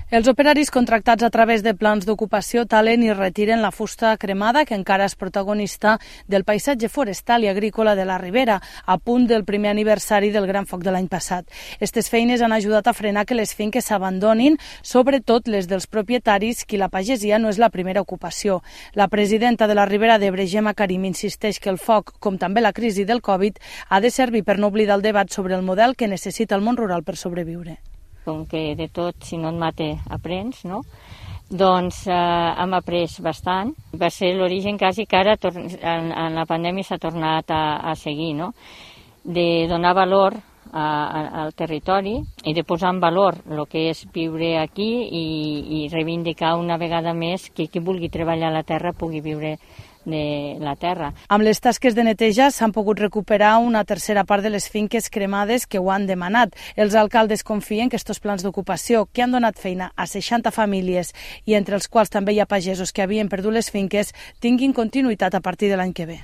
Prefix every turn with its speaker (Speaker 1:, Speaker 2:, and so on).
Speaker 1: Els operaris contractats a través de plans d'ocupació talen i retiren la fusta cremada que encara és protagonista del paisatge forestal i agrícola de la Ribera, a punt del primer aniversari del gran foc de l'any passat. Aquestes feines han ajudat a frenar que les finques s'abandonin, sobretot les dels propietaris, qui la pagesia no és la primera ocupació. La presidenta de la Ribera d'Ebre, Gemma Karim, insisteix que el foc, com també la crisi del Covid, ha de servir per no oblidar el debat sobre el model que necessita el món rural per sobreviure.
Speaker 2: Com que de tot, si no et mata, aprens, no? Doncs hem après bastant. Va ser l'origen quasi que ara en la pandèmia s'ha tornat a seguir, no? De donar valor al territori i de posar en valor el que és viure aquí i reivindicar una vegada més que qui vulgui treballar a la terra pugui viure de la terra.
Speaker 1: Amb les tasques de neteja s'han pogut recuperar una tercera part de les finques cremades que ho han demanat. Els alcaldes confien que aquests plans d'ocupació, que han donat feina a 60 famílies i entre els quals també hi ha pagesos que havien perdut les finques, tinguin continuïtat a partir de l'any que ve.